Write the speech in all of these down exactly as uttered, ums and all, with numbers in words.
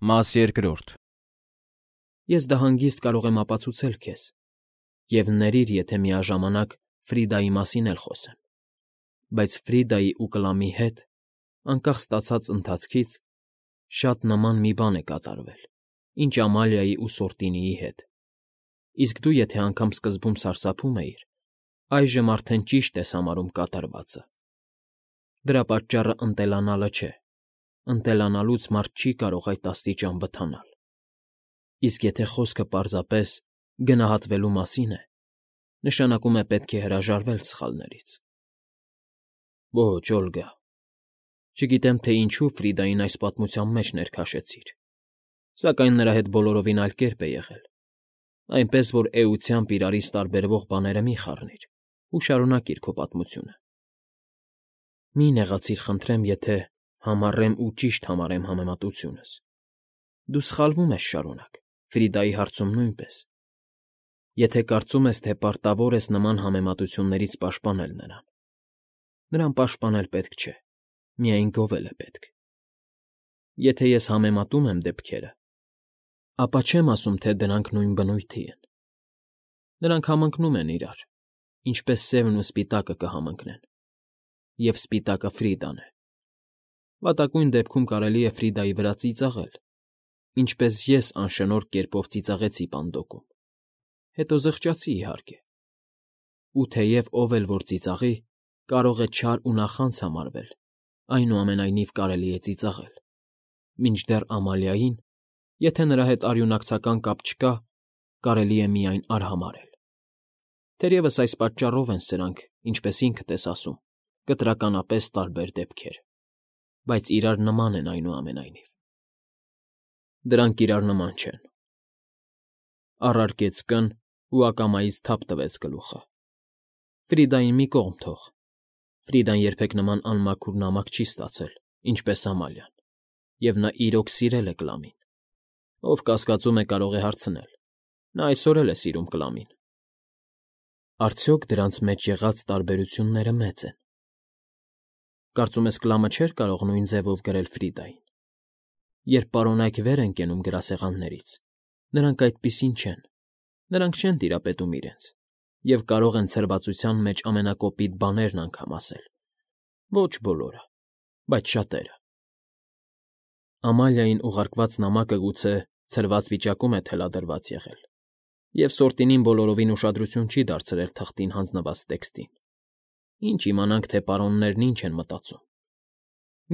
Մաս երկրորդ Ես դա հանգիստ կարող եմ ապացուցել քեզ, և ներիր, եթե միաժամանակ Ֆրիդայի մասին էլ խոսեմ, բայց Ֆրիդայի ու Կլամի հետ, անկախ ստացած ընթացքից, շատ նման մի բան է կատարվել, ինչ Ամալիայի ու Սորտինիի հետ, իսկ դու եթե անգամ սկզբում սարսափում էիր, այժմ արդեն ճիշտ ես համարում կատարվածը. դրա պատճառը ընտելանալը չէ, ընտելանալուց մարդ չի կարող այդ աստիճան վթանալ, իսկ եթե խոսքը պարզապես գնահատվելու մասին է, նշանակում է պետք է հրաժարվել սխալներից։ Ոչ, Օլգա, չգիտեմ, թե ինչու Ֆրիդային այս պատմության մեջ ներքաշեցիր, սակայն նրա հետ բոլորովին այլ կերպ է եղել, այնպես որ էությամբ իրարից տարբերվող բաները մի խառնիր ու շարունակիր քո պատմությունը։ Մի նեղացիր, խնդրեմ, եթե համառեմ ու ճիշտ համարեմ համեմատությունս։ Դու սխալվում ես շարունակ, Ֆրիդայի հարցում նույնպես։ Եթե կարծում ես, թե պարտավոր ես նման համեմատություններից պաշտպանել նրան, նրան պաշտպանել պետք չէ, միայն գովել է պետք։ Եթե ես համեմատում եմ դեպքերը, ապա չեմ ասում, թե դրանք նույն բնույթի են։ Նրանք համընկնում են իրար, ինչպես սևն ու սպիտակը կհամընկնեն, և սպիտակը Ֆրիդան է։ Վատակույն դեպքում կարելի է Ֆրիդայի վրա ծիծաղել, ինչպես ես անշնորհ կերպով ծիծաղեցի Պանդոկում, հետո զղջացի, իհարկե։ Ու թեև ով էլ որ ծիծաղի, կարող է չար ու նախանց համարվել, այնուամենայնիվ կարելի է ծիծաղել, մինչդեռ Ամալիային, եթե նրա հետ արյունակցական կապ չկա, կարելի է միայն արհամարհել։ Թերևս այս պատճառով են սրանք, ինչպես ինքդ ես ասում, կտրականապես տարբեր դեպքեր, բայց իրար նման են այնուամենայնիվ։ Դրանք իրար նման չեն, առարկեց կն ու ակամայից թափ տվեց գլուխը։ Ֆրիդային մի կողմ թող, Ֆրիդան երբեք նման անմաքուր նամակ չի ստացել, ինչպես Ամալիան, և նա իրոք սիրել է Կլամին։ Ով կասկածում է, կարող է հարցնել. նա այսօր էլ է սիրում Կլամին։ Արդյոք դրանց մեջ եղած տարբերությունները մեծ են։ Կարծում ես Կլամը չէր կարող նույն ձևով գրել Ֆրիդային։ Երբ պարոնայք վեր են կենում գրասեղաններից, նրանք այդպիսին չեն, նրանք չեն տիրապետում իրենց, և կարող են ցրվածության մեջ ամենակոպիտ բաներն անգամ ասել։ Ոչ բոլորը, բայց շատերը։ Ամալիային ուղարկված նամակը գուցե ցրված վիճակում է թելադրված եղել, և Սորտինին բոլորովին ուշադրություն չի դարձրել թղթին հանձնված տեքստին։ Ինչ իմանանք, թե պարոններն ինչ են մտածում։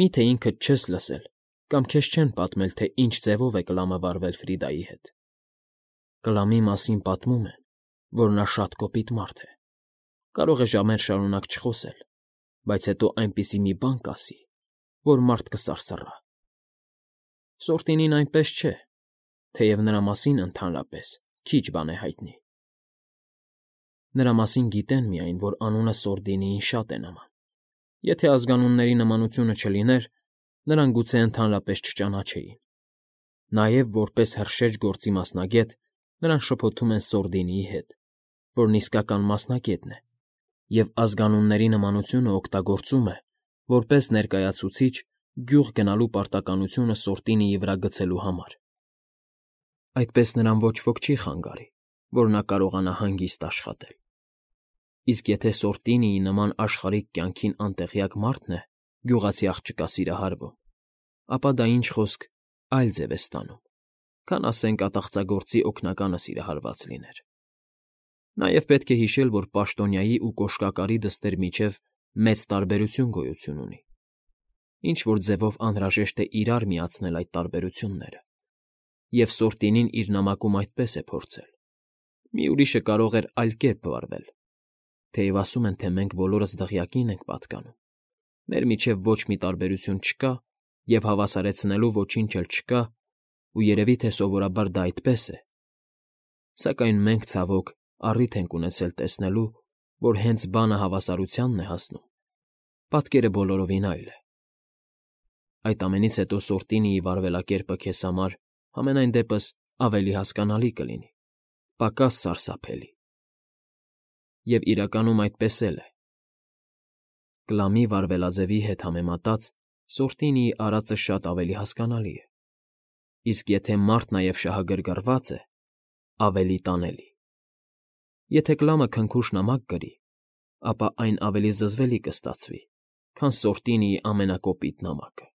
Մի՞թե ինքդ չես լսել կամ քեզ չեն պատմել, թե ինչ ձևով է Կլամը վարվել Ֆրիդայի հետ։ Կլամի մասին պատմում են, որ նա շատ կոպիտ մարդ է, կարող է ժամեր շարունակ չխոսել, բայց հետո այնպիսի մի բան կասի, որ մարդ կսարսռա։ Սորտինին այնպես չէ, թեև նրա մասին ընդհանրապես քիչ բան է հայտնի։ Նրա մասին գիտեն միայն, որ անունը Սորտինիին շատ է նման։ Եթե ազգանունների նմանությունը չլիներ, նրան գուցե ընդհանրապես չճանաչեին։ Նաև, որպես հրշեջ գործի մասնագետ, նրան շփոթում են Սորդինիի հետ, որն իսկական մասնագետն է, և ազգանունների նմանությունը օգտագործում է, որպես ներկայացուցիչ գյուղ գնալու պարտականությունը Սորտինիի վրա գցելու համար։ Այդպես նրան ոչ ոք չի խանգարի, որ նա կարողանա հանգիստ աշխատել։ Իսկ եթե Սորտինիի նման աշխարհիկ կյանքին անտեղյակ մարդն է գյուղացի աղջկա սիրահարվում, ապա դա ինչ խոսք այլ ձև է ստանում, քան, ասենք, ատաղծագործի օգնականը սիրահարված լիներ։ Նաև պետք է հիշել, որ պաշտոնյայի ու կոշկակարի դստեր միջև մեծ տարբերություն գոյություն ունի, ինչ֊որ ձևով անհրաժեշտ է իրար միացնել այդ տարբերությունները, և Սորտինին իր նամակում այդպես է փորձել։ Մի ուրիշը կարող էր այլ կերպ վարվել, թեև ասում են, թե մենք բոլորս դղյակին ենք պատկանում, մեր միջև ոչ մի տարբերություն չկա և հավասարեցնելու ոչինչ էլ չկա, ու երևի թե սովորաբար դա այդպես է, սակայն մենք, ցավոք, առիթ ենք ունեցել տեսնելու, որ հենց բանը հավասարությանն է հասնում, պատկերը բոլորովին այլ է։ Այդ ամենից հետո Սորտինիի վարվելակերպը քեզ համար, համենայն դեպս, ավելի հասկանալի կլինի, պակաս սարսափելի։ Եվ իրականում այդպես էլ է։ Կլամի վարվելաձևի հետ համեմատած Սորտինիի արածը շատ ավելի հասկանալի է։ իսկ եթե մարդ նաև շահագրգռված է, ավելի տանելի։ Եթե կլամը քնքուշ նամակ գրի, ապա այն ավելի զզվելի կստացվի, քան սորտինիի ամենակոպիտ նամակը։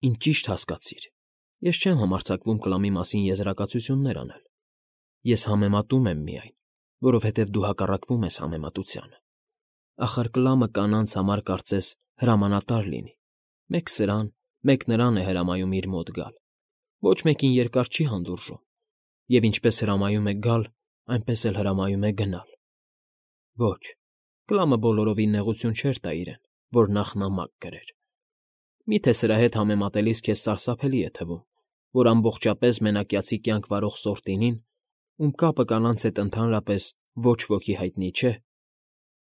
Ինչ ճիշտ հասկացիր, ես չեմ համարձակվում կլամի մասին եզրակացություններ անել։ Ես համեմատում եմ միայն, որովհետև դու հակառակվում ես համեմատությանը։ Ախր կլամը կանանց համար կարծես հրամանատար լինի, մեկ սրան, մեկ նրան է հրամայում իր մոտ գալ, ոչ մեկին երկար չի հանդուրժում, և ինչպես հրամայում է գալ, այնպես էլ հրամայում է գնալ։ Ոչ, կլամը բոլորովին նեղություն չէր տա իրեն, որ նախ նամակ գրեր։ Միթե սրա հետ համեմատելիս քեզ սարսափելի է թվում, որ ամբողջապես մենակյացի կյանք վարող սորտինին, ում կապը կանանց հետ ընդհանրապես ոչ ոքի հայտնի չէ,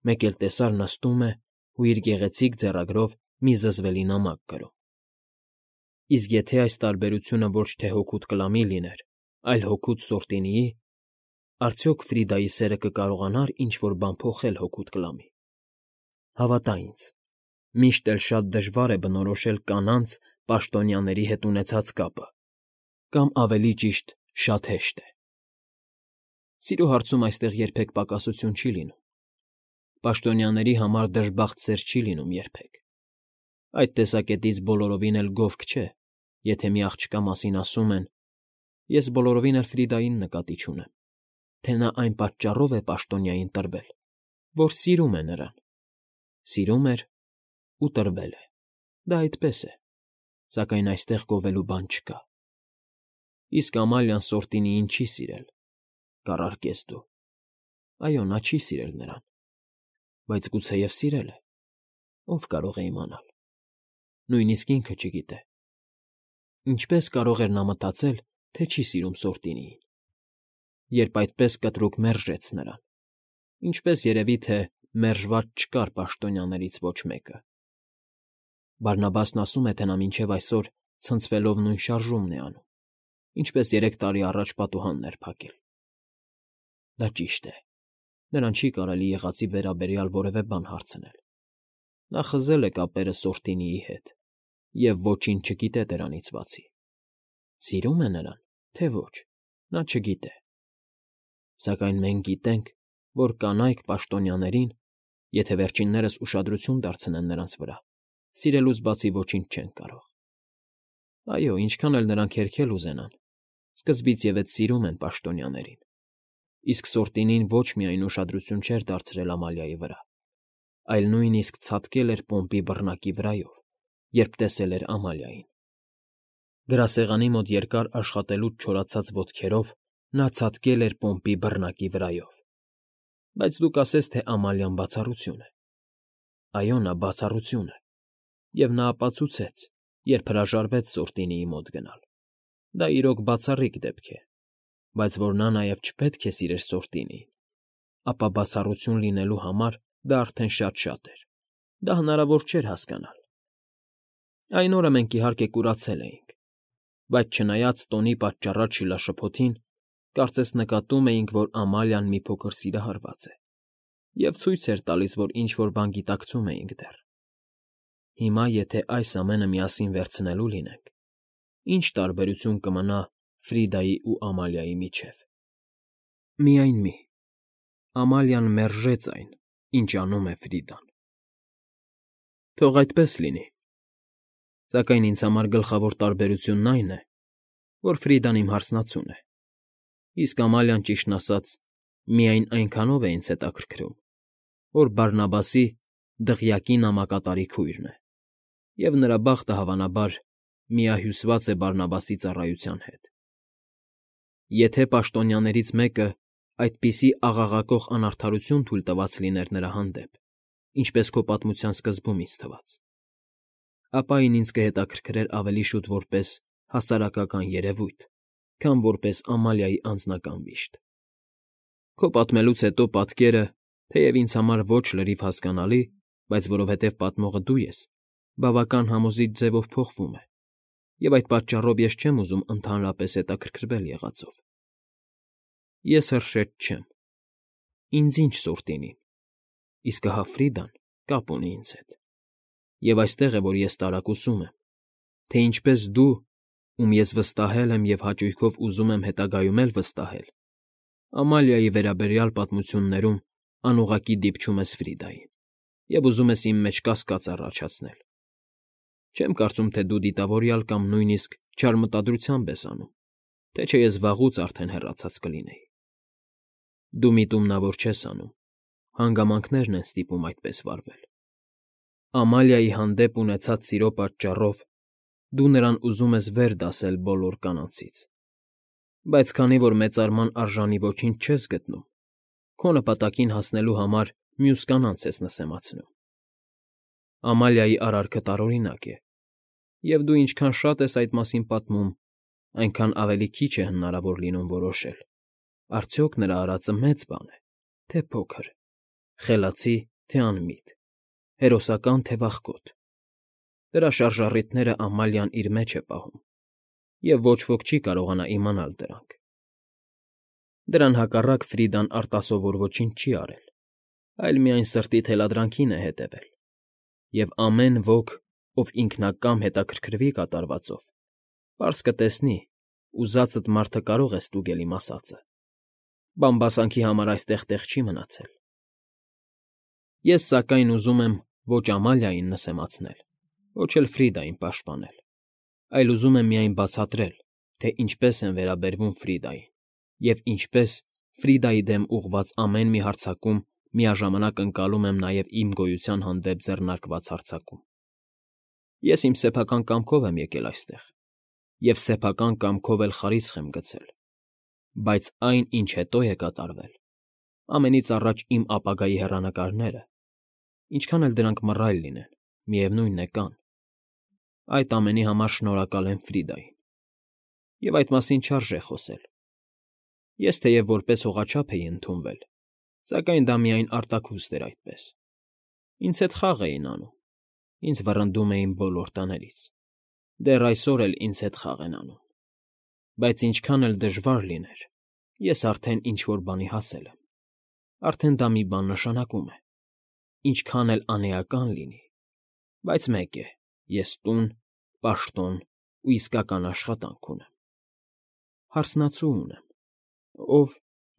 մեկ էլ տեսար նստում է ու իր գեղեցիկ ձեռագրով մի զզվելի նամակ գրում։ Իսկ եթե այս տարբերությունը ոչ թե հօգուտ կլամի լիներ, այլ հօգուտ սորտինիի, արդյոք Ֆրիդայի սերը կկարողանա՞ր ինչ֊որ բան փոխել հօգուտ կլամի։ Հավատա ինձ, միշտ էլ շատ դժվար է բնորոշել կանանց պաշտոնյաների հետ ունեցած կապը, կամ ավելի ճիշտ, շատ հեշտ է։ Սիրո հարցում այստեղ երբեք պակասություն չի լինում։ Պաշտոնյաների համար դժբախտ սեր չի լինում երբեք։ Այդ տեսակետից բոլորովին էլ գովք չէ, եթե մի աղջկա մասին ասում են. ես բոլորովին էլ Ֆրիդային նկատի չունեմ, թե նա այն պատճառով է պաշտոնյային տրվել, որ սիրում է նրան։ Սիրում էր ու տրվել է, դա այդպես է, սակայն այստեղ գովելու բան չկա։ Իսկ Ամալիան սորտինիին չի սիրել, կառարկես դու։ Այո, նա չի սիրել նրան, բայց գուցեև սիրել է, ով կարող է իմանալ։ Նույնիսկ ինքը չգիտե։ Ինչպես կարող էր նա մտածել, թե չի սիրում սորտինիին, երբ այդպես կտրուկ մերժեց նրան, ինչպես երևի թե մերժված չկար պաշտոնյաներից ոչ մեկը։ Բարնաբասն ասում է, թե նա մինչև այսօր ցնցվելով նույն շարժումն է անում, ինչպես երեք տարի առաջ պատուհանն էր փակել։ Դա ճիշտ է, նրան չի կարելի եղածի վերաբերյալ որևէ բան հարցնել։ Նա խզել է կապերը սորտինիի հետ և ոչինչ չգիտե դրանից բացի։ Սիրում է նրան, թե ոչ, նա չգիտե։ Սակայն մենք գիտենք, որ կանայք պաշտոնյաներին, եթե վերջիններս ուշադրություն դարձնեն նրանց վրա, սիրելուց բացի ոչինչ չեն կարող։ Այո, ինչքան էլ նրանք հերքել ուզենան, սկզբից ևեթ սիրում են պաշտոնյաներին։ Իսկ սորտինին ոչ միայն ուշադրություն չէր դարձրել Ամալիայի վրա, այլ նույնիսկ ցատկել էր պոմպի բռնակի վրայով, երբ տեսել էր Ամալիային։ Գրասեղանի մոտ երկար աշխատելուց չորացած ոտքերով նա ցատկել էր պոմպի բռնակի վրայով։ Բայց դու կասես, թե Ամալիան բացառություն է։ Այո, նա բացառություն է, և նա ապացուցեց, երբ հրաժարվեց սորտինիի մոտ գնալ։ Դա իրոք բացառիկ դեպք է, բայց որ նա նաև չպետք է սիրեր սորտինիին, ապա բացառություն լինելու համար դա արդեն շատ֊շատ էր, դա հնարավոր չէր հասկանալ։ Այն օրը մենք, իհարկե, կուրացել էինք, բայց չնայած տոնի պատճառած շիլաշփոթին, կարծես նկատում էինք, որ Ամալիան մի փոքր սիրահարված է, և ցույց էր տալիս, որ ինչ֊որ բան գիտակցում էինք դեռ։ Հիմա, եթե այս ամենը միասին վերցնելու լինենք, ի՞նչ տարբերություն կմնա Ֆրիդայի ու Ամալիայի միջև։ Միայն մի. Ամալիան մերժեց այն, ինչ անում է Ֆրիդան։ Թող այդպես լինի։ Սակայն ինձ համար գլխավոր տարբերությունն այն է, որ Ֆրիդան իմ հարսնացուն է, իսկ Ամալիան, ճիշտն ասած, միայն այնքանով է ինձ հետաքրքրում, որ Բարնաբասի դղյակի նամակատարի քույրն է, և նրա բախտը, հավանաբար, միահյուսված է Բարնաբասի ծառայության հետ։ Եթե պաշտոնյաներից մեկը այդպիսի աղաղակող անարդարություն թույլ տված լիներ նրա հանդեպ, ինչպես քո պատմության սկզբում ինձ թվաց, ապա այն ինձ կհետաքրքրեր ավելի շուտ որպես հասարակական երևույթ, քան որպես Ամալիայի անձնական վիշտ։ Քո պատմելուց հետո պատկերը, թեև ինձ համար ոչ լրիվ հասկանալի, բայց որովհետև պատմողը դու ես, բավական համոզիչ ձևով փոխվում է, և այդ պատճառով ես չեմ ուզում ընդհանրապես հետաքրքրվել եղածով։ Ես հրշեջ չեմ։ Ինձ ինչ սորտինին, իսկ ահա Ֆրիդան կապ ունի ինձ հետ։ Եվ այստեղ է, որ ես տարակուսում եմ, թե ինչպես դու, ում ես վստահել եմ և հաճույքով ուզում եմ հետագայում էլ վստահել, Ամալիայի վերաբերյալ պատմություններում անուղղակի դիպչում ես Ֆրիդային և ուզում ես իմ մեջ կասկած առաջացնել. չեմ կարծում, թե դու դիտավորյալ կամ նույնիսկ չար մտադրությամբ ես անում, թե չէ ես վաղուց արդեն հեռացած կլինեի։ Դու միտումնավոր չես անում, հանգամանքներն են ստիպում այդպես վարվել։ Ամալիայի հանդեպ ունեցած սիրո պատճառով դու նրան ուզում ես վեր դասել բոլոր կանանցից, բայց քանի որ մեծարման արժանի ոչինչ չես գտնում, քո նպատակին հասնելու համար մյուս կանանց ես նսեմացնում։ Ամալիայի արարքը տարօրինակ է, և դու ինչքան շատ ես այդ մասին պատմում, այնքան ավելի քիչ է հնարավոր լինում որոշել՝ արդյոք նրա արածը մեծ բան է, թե փոքր, խելացի, թե անմիտ, հերոսական, թե վախկոտ։ Դրա շարժառիթները Ամալիան իր մեջ է պահում, և ոչ ոք չի կարողանա իմանալ դրանք։ Դրան հակառակ Ֆրիդան արտասովոր ոչինչ չի արել, այլ միայն սրտի թելադրանքին է հետևել, և ամեն ոք, ով ինքնակամ հետաքրքրվի կատարվածով, պարզ կտեսնի՝ ուզածդ մարդը կարող է ստուգել իմ ասածը, բամբասանքի համար այստեղ տեղ չի մնացել։ Ես, սակայն, ուզում եմ ոչ Ամալիային նսեմացնել, ոչ էլ Ֆրիդային պաշտպանել, այլ ուզում եմ միայն բացատրել, թե ինչպես են վերաբերվում Ֆրիդային և ինչպես, Ֆրիդայի դեմ ուղղված ամեն մի հարձակում միաժամանակ ընկալում եմ նաև իմ գոյության հանդեպ ձեռնարկված հարձակում։ Ես իմ սեփական կամքով եմ եկել այստեղ և սեփական կամքով էլ խարիսխ եմ գցել, բայց այն, ինչ հետո է կատարվել, ամենից առաջ իմ ապագայի հեռանկարները, ինչքան էլ դրանք մռայլ լինեն, միևնույն է, կան, այդ ամենի համար շնորհակալ եմ Ֆրիդային, և այդ մասին չարժե խոսել։ Ես թեև որպես հողաչափ էի ընդունվել, սակայն դա միայն արտաքուստ էր այդպես։ Ինձ հետ խաղ էին անում, ինձ վռնդում էին բոլոր տներից, դեռ այսօր էլ ինձ հետ խաղ են անում, բայց ինչքան էլ դժվար լիներ, ես արդեն ինչ֊որ բանի հասել եմ, արդեն դա մի բան նշանակում է, ինչքան էլ անէական լինի, բայց մեկ է, ես տուն, պաշտոն ու իսկական աշխատանք ունեմ։ Հարսնացու ունեմ, ով,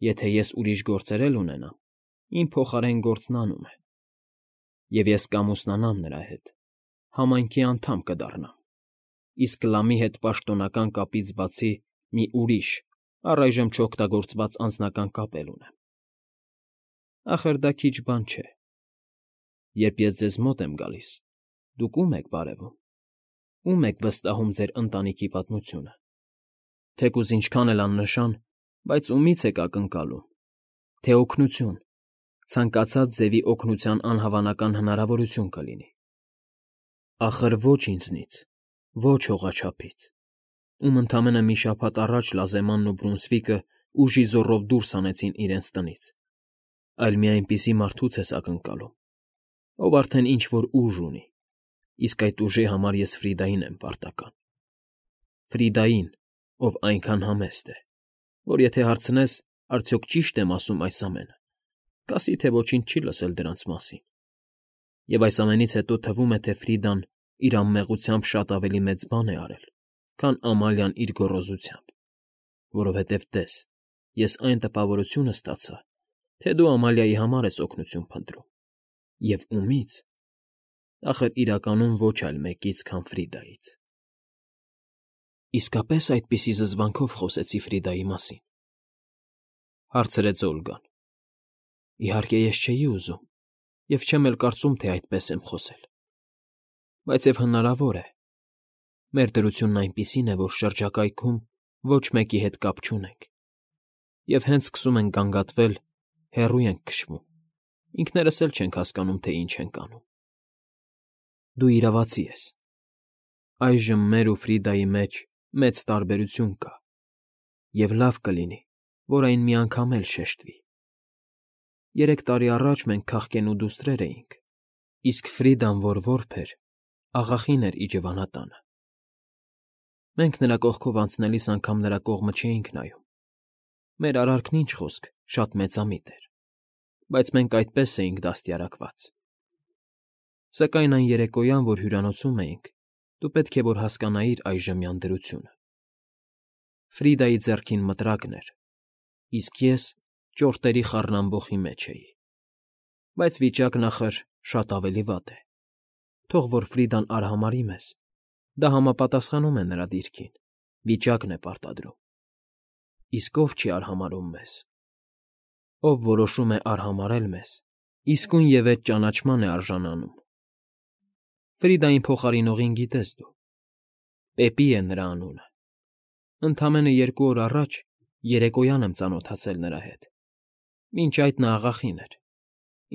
եթե ես ուրիշ գործեր էլ ունենամ, իմ փոխարեն գործն անում է, և ես կամուսնանամ նրա հետ, համայնքի անդամ կդառնամ, իսկ Լամի հետ պաշտոնական կապից բացի մի ուրիշ, առայժմ չօգտագործված անձնական կապ էլ ունեմ։ Ախր դա քիչ բան չէ։ Երբ ես ձեզ մոտ եմ գալիս, դուք ո՞ւմ եք բարևում, ո՞ւմ եք վստահում ձեր ընտանիքի պատմությունը, թեկուզ ինչքան էլ աննշան, բայց ումի՞ց եք ակնկալում, թե օգնություն, ցանկացած ձևի օգնության անհավանական հնարավորություն կլինի։ Ախր ոչ ինձնից, ոչ հողաչափից, ում ընդամենը մի շաբաթ առաջ Լազեմանն ու Բրունսվիկը ուժի զոռով դուրս հանեցին իրենց տնից, այլ մի այնպիսի մարդուց ես ակնկալում, ով արդեն ինչ֊որ ուժ ունի, իսկ այդ ուժի համար ես Ֆրիդային եմ պարտական։ Ֆրիդային, ով այնքան համեստ է, որ եթե հարցնես, արդյոք ճի՞շտ եմ ասում այս ամենը, կասի, թե ոչինչ չի լսել դրանց մասին։ Եվ այս ամենից հետո թվում է, թե Ֆրիդան իր անմեղությամբ շատ ավելի մեծ բան է արել, քան Ամալիան իր գոռոզությամբ, որովհետև տես, ես այն տպավորությունը ստացա, թե դու Ամալիայի համար ես օգնություն փնտրում, և ումի՞ց, ախր իրականում ոչ այլ մեկից, քան Ֆրիդայից։ Իսկապե՞ս այդպիսի զզվանքով խոսեցի Ֆրիդայի մասին,֊ հարցրեց Օլգան։ Իհարկե, ես չէի ուզում և չեմ էլ կարծում, թե այդպես եմ խոսել, բայց և հնարավոր է, մեր դրությունն այնպիսին է, որ շրջակայքում ոչ մեկի հետ կապ չունենք, և հենց սկսում ենք գանգատվել, հեռու ենք քշվում, ինքներս էլ չենք հասկանում, թե ինչ ենք անում։ Դու իրավացի ես։ Այժմ մեր ու Ֆրիդայի մեջ մեծ տարբերություն կա, և լավ կլինի, որ այն մի անգամ էլ շեշտվի։ Երեք տարի առաջ մենք քաղկենու դուստրեր էինք, իսկ Ֆրիդան, որ որբ էր, աղախին էր իջևանատանը։ Մենք նրա կողքով անցնելիս անգամ նրա կողմը չէինք նայում։ Մեր արարքն ինչ խոսք, շատ մեծամիտ էր, բայց մենք այդպես էինք դաստիարակված։ Սակայն այն երեկոյան, որ հյուրանոցում էինք, դու պետք է որ հասկանայիր այժմյան դրությունը։ Ֆրիդայի ձեռքին մտրակն էր, իսկ ես ճորտերի խառնամբոխի մեջ էի։ Բայց վիճակն, ախր, շատ ավելի վատ է։ Թող որ Ֆրիդան արհամարհի մեզ, դա համապատասխանում է նրա դիրքին, վիճակն է պարտադրում։ Իսկ ով չի արհամարհում մեզ։ Ով որոշում է արհամարհել մեզ, իսկույն և այդ ճանաչման է արժանանում։ Ֆրիդային փոխարինողին գիտես դու։ Պեպի է նրա անունը։ Ընդամենը երկու օր առաջ երեկոյան եմ ծանոթացել նրա հետ։ Մինչ այդ նա աղախին էր։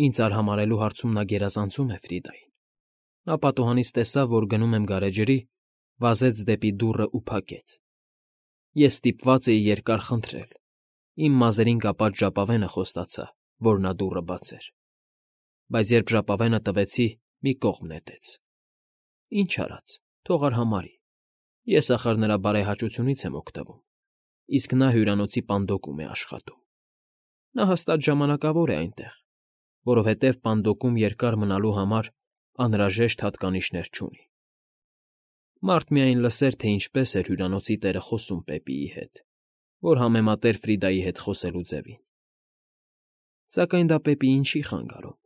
Ինձ արհամարհելու հարցում նա գերազանցում է Ֆրիդային։ Նա պատուհանից տեսավ, որ գնում եմ գարեջրի, վազեց դեպի դուռն ու փակեց։ Ես ստիպված էի երկար խնդրել։ Իմ մազերին կապած ժապավենը խոստացա, որ նա դուռը բացեր։ Բայց երբ ժապավենը տվեցի, մի կողմ նետեց։ Ինչ արած, թող արհամարհի։ Ես, ախր, նրա բարեհաճությունից եմ օգտվում, իսկ նա հյուրանոցի պանդոկում է աշխատում։ Նա հաստատ ժամանակավոր է այնտեղ, որովհետև պանդոկում երկար մնալու համար անհրաժեշտ հատկանիշներ չունի։ Մարդ միայն լսեր, թե ինչպես էր հյուրանոցի տերը խոսում Պեպիի հետ, որ համեմատեր Ֆրիդայի հետ խոսելու ձևին։ Սակայն դա Պեպիին չի խանգարում,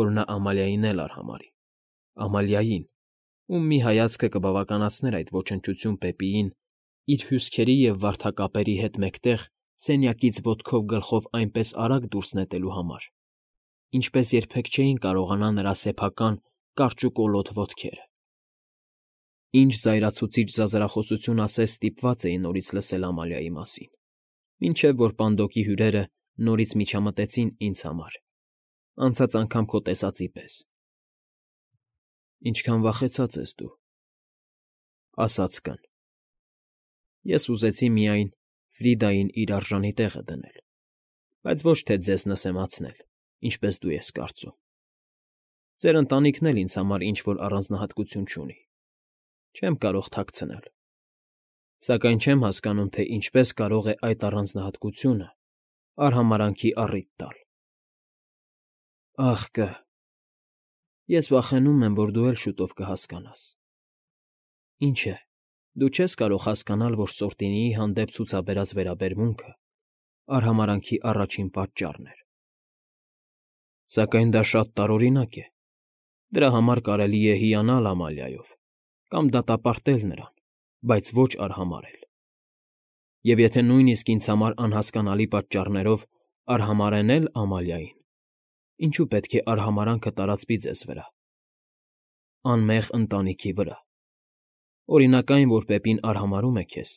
որ նա Ամալիային էլ արհամարհի, Ամալիային, ում մի հայացքը կբավականացներ այդ ոչնչություն Պեպիին իր հյուսքերի և վարդակապերի հետ մեկտեղ սենյակից ոտքով գլխով այնպես արագ դուրս նետելու համար, ինչպես երբեք չէին կարողանա նրա սեփական կարճուկոլոտ ոտքերը։ Ինչ զայրացուցիչ զազրախոսություն ասես ստիպված էի նորից լսել Ամալիայի մասին, մինչև որ պանդոկի հյուրերը նորից միջամտեցին ինձ համար, անցած անգամ քո տեսածի պես։ Ինչքան վախեցած ես դու, ասաց կն։ Ես ուզեցի միայն Ֆրիդային իր արժանի տեղը դնել, բայց ոչ թե ձեզ նսեմացնել, ինչպես դու ես կարծում։ Ձեր ընտանիքն էլ ինձ համար ինչ֊որ առանձնահատկություն չունի։ Չեմ կարող թաքցնել։ Սակայն չեմ հասկանում, թե ինչպես կարող է այդ առանձնահատկությունը արհամարհանքի առիթ տալ։ Ախ կը… Ես վախենում եմ, որ դու էլ շուտով կհասկանաս։ Ինչ է, դու չես կարող հասկանալ, որ Սորտինիի հանդեպ ցուցաբերած վերաբերմունքը արհամարհանքի առաջին պատճառն էր։ Սակայն դա շատ տարօրինակ է։ Դրա համար կարելի է հիանալ Ամալիայով կամ դատապարտել նրան, բայց ոչ արհամարհել։ Եվ եթե նույնիսկ ինձ համար անհասկանալի պատճառներով արհամարհեն էլ Ամալիային, ինչու պետք է արհամարհանքը տարածվի ձեզ վրա, անմեղ ընտանիքի վրա։ Օրինակ այն, որ Պեպին արհամարհում է քեզ,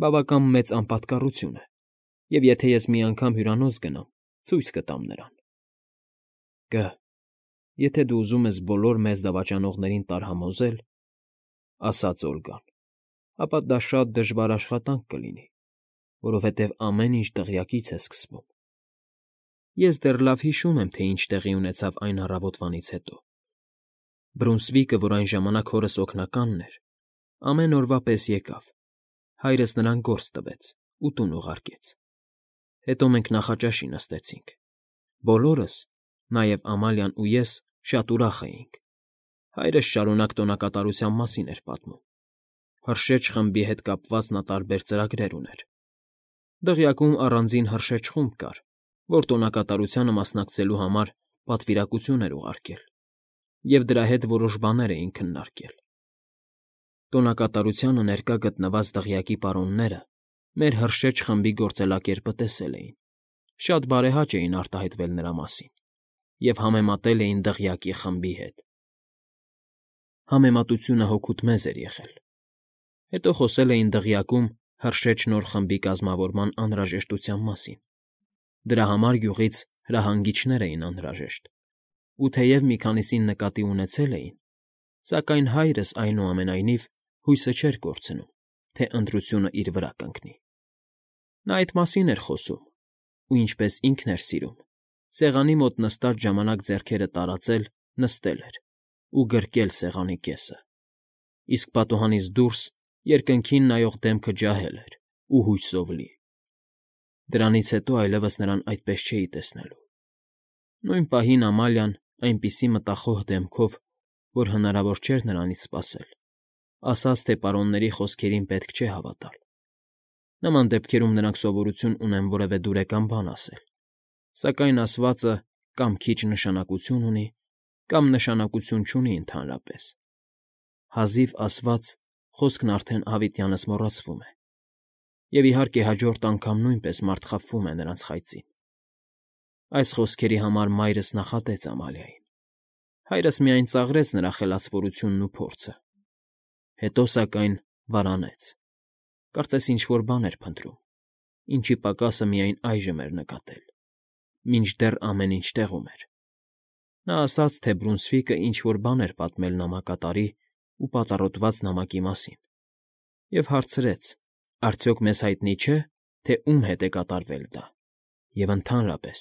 բավական մեծ անպատկառություն է, և եթե ես մի անգամ հյուրանոց գնամ, ցույց կտամ նրան։ Կ. Եթե դու ուզում ես բոլոր մեզ դավաճանողներին տարհամոզել, ասաց Օլգան, ապա դա շատ դժվար աշխատանք կլինի, որովհետև ամեն ինչ դղյակից է սկսվում։ Ես դեռ լավ հիշում եմ, թե ինչ տեղի ունեցավ այն առավոտվանից հետո։ Բրունսվիկը, որ այն ժամանակ հորս օգնականն էր, ամեն օրվա պես եկավ, հայրս նրան գործ տվեց ու տուն ուղարկեց։ Հետո մենք նախաճաշի նստեցինք։ Բոլորս, նաև Ամալիան ու ես, շատ ուրախ էինք։ Հայրս շարունակ տոնակատարության մասին էր պատմում։ Հրշեջ խմբի հետ կապված նա տարբեր ծրագրեր ուներ։ Դղյակում առանձին հրշեջ խումբ կար, որ տոնակատարությանը մասնակցելու համար պատվիրակություն էր ուղարկել, և դրա հետ որոշ բաներ էին քննարկել։ Տոնակատարությանը ներկա գտնված դղյակի պարոնները մեր հրշեջ խմբի գործելակերպը տեսել էին, շատ բարեհաճ էին արտահայտվել նրա մասին և համեմատել էին դղյակի խմբի հետ։ Համեմատությունը հօգուտ մեզ էր եղել։ Հետո խոսել էին դղյակում հրշեջ նոր խմբի կազմավորման անհրաժեշտության մասին։ Դրա համար գյուղից հրահանգիչներ էին անհրաժեշտ, ու թեև մի քանիսին նկատի ունեցել էին, սակայն հայրս, այնուամենայնիվ, հույսը չէր կորցնում, թե ընտրությունը իր վրա կընկնի։ Նա այդ մասին էր խոսում, ու ինչպես ինքն էր սիրում, սեղանի մոտ նստած ժամանակ ձեռքերը տարածել, նստել էր ու գրկել սեղանի կեսը, իսկ պատուհանից դուրս երկնքին նայող դեմքը ջահել էր ու հույսով լի։ Դրանից հետո այլևս նրան այդպես չէի տեսնելու։ Նույն պահին Ամալիան այնպիսի մտախոհ դեմքով, որ հնարավոր չէր նրանից սպասել, ասաց, թե պարոնների խոսքերին պետք չէ հավատալ։ Նման դեպքերում նրանք սովորություն ունեն որևէ դուրեկան բան ասել, սակայն ասվածը կամ քիչ նշանակություն ունի, կամ նշանակություն չունի ընդհանրապես. հազիվ ասված, խոսքն արդեն հավիտյանս մոռացվում է, և, իհարկե, հաջորդ անգամ նույնպես մարդ խաբվում է նրանց խայծին։ Այս խոսքերի համար մայրս նախատեց Ամալիային։ Հայրս միայն ծաղրեց նրա խելացվորությունն ու փորձը, հետո, սակայն, վարանեց, կարծես ինչ֊որ բան էր փնտրում, ինչի պակասը միայն այժմ էր նկատել, մինչդեռ ամեն ինչ տեղում էր։ Նա ասաց, թե Բրունսվիկը ինչ֊որ բան էր պատմել նամակատարի ու պատառոտված նամակի մասին, և հարցրեց. «Արդյոք մեզ հայտնի չէ, թե ում հետ է կատարվել դա, և, ընդհանրապես,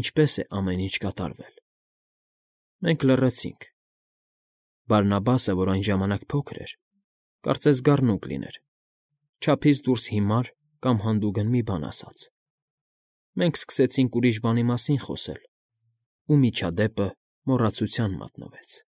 ինչպես է ամեն ինչ կատարվել»։ Մենք լռեցինք։ Բարնաբասը, որ այն ժամանակ փոքր էր, կարծես գառնուկ լիներ, չափից դուրս հիմար կամ հանդուգն մի բան ասաց։ Մենք սկսեցինք ուրիշ բանի մասին խոսել, ու միջադեպը մոռացության մատնվեց։